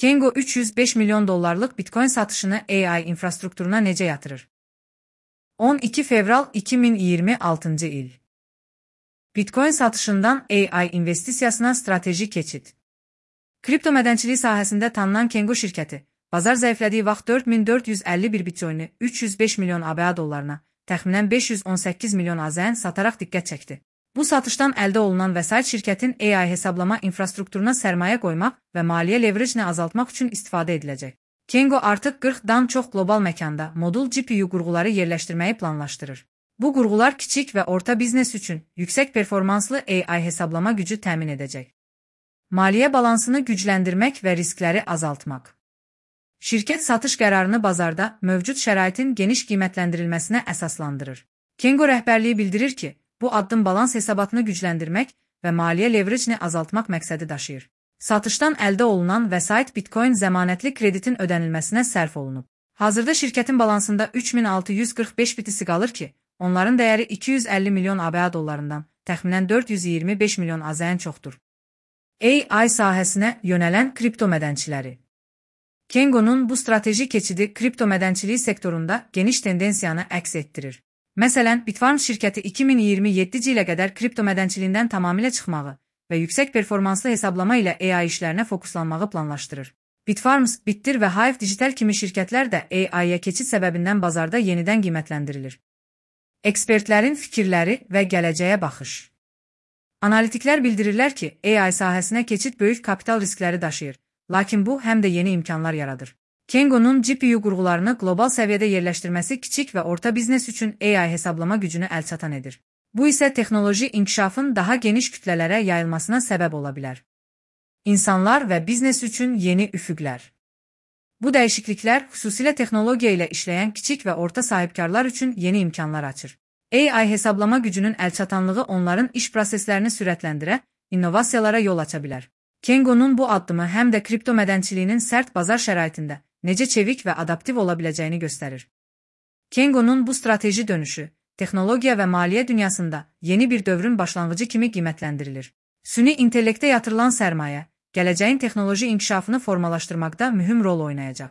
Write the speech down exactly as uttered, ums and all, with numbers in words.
Kengo üç yüz beş milyon dollarlık Bitcoin satışını A I infrastrukturuna necə yatırır? on iki fevral iki min iyirmi altıncı il. Bitcoin satışından A I investisiyasına strateji keçid. Kripto mədənçiliyi sahəsində tanınan Kengo şirkəti, bazar zəiflədiyi vaxt dörd min dörd yüz əlli bir Bitcoin'i üç yüz beş milyon A B A dollarına, təxminən beş yüz on səkkiz milyon A Z N sataraq diqqət çəkdi. Bu satışdan əldə olunan vəsait şirkətin A I hesablama infrastrukturuna sərmayə qoymaq və maliyyə leverage-ni azaltmaq üçün istifadə ediləcək. Kengo artıq qırxdan çox qlobal məkanda modul G P U qurğuları yerləşdirməyi planlaşdırır. Bu qurğular kiçik və orta biznes üçün yüksək performanslı A I hesablama gücü təmin edəcək. Maliyyə balansını gücləndirmək və riskləri azaltmaq. Şirkət satış qərarını bazarda mövcud şəraitin geniş qiymətləndirilməsinə əsaslandırır. Kengo rəhbərliyi bildirir ki, bu addım balans hesabatını gücləndirmək və maliyyə leverage-ni azaltmaq məqsədi daşıyır. Satışdan əldə olunan vəsait Bitcoin zəmanətli kreditin ödənilməsinə sərf olunub. Hazırda şirkətin balansında üç min altı yüz qırx beş bitisi qalır ki, onların dəyəri iki yüz əlli milyon A B A dollarından təxminən dörd yüz iyirmi beş milyon A Z N çoxdur. A I sahəsinə yönələn kripto mədənçiləri. Kengo'nun bu strateji keçidi kripto mədənçiliyi sektorunda geniş tendensiyanı əks etdirir. Məsələn, Bitfarms şirkəti iki min iyirmi yeddinci ilə qədər kripto mədənçiliyindən tamamilə çıxmağı və yüksək performanslı hesablama ilə A I işlərinə fokuslanmağı planlaşdırır. Bitfarms, Bitdir və Hive Digital kimi şirkətlər də A I-yə keçid səbəbindən bazarda yenidən qiymətləndirilir. Ekspertlərin fikirləri və gələcəyə baxış. Analitiklər bildirirlər ki, A I sahəsinə keçid böyük kapital riskləri daşıyır, lakin bu həm də yeni imkanlar yaradır. Kengo'nun G P U qurğularını qlobal səviyyədə yerləşdirməsi kiçik və orta biznes üçün A I hesablama gücünü əlçatan edir. Bu isə texnoloji inkişafın daha geniş kütlələrə yayılmasına səbəb ola bilər. İnsanlar və biznes üçün yeni üfüqlər. Bu dəyişikliklər xüsusilə texnologiya ilə işləyən kiçik və orta sahibkarlar üçün yeni imkanlar açır. A I hesablama gücünün əlçatanlığı onların iş proseslərini sürətləndirə, innovasiyalara yol aça bilər. Kengo'nun bu addımı həm də kripto mədənçiliyinin sərt bazar şəraitində necə çevik və adaptiv ola biləcəyini göstərir. Kengo'nun bu strateji dönüşü, texnologiya və maliyyə dünyasında yeni bir dövrün başlanğıcı kimi qiymətləndirilir. Süni intellektə yatırılan sərmayə, gələcəyin texnoloji inkişafını formalaşdırmaqda mühüm rol oynayacaq.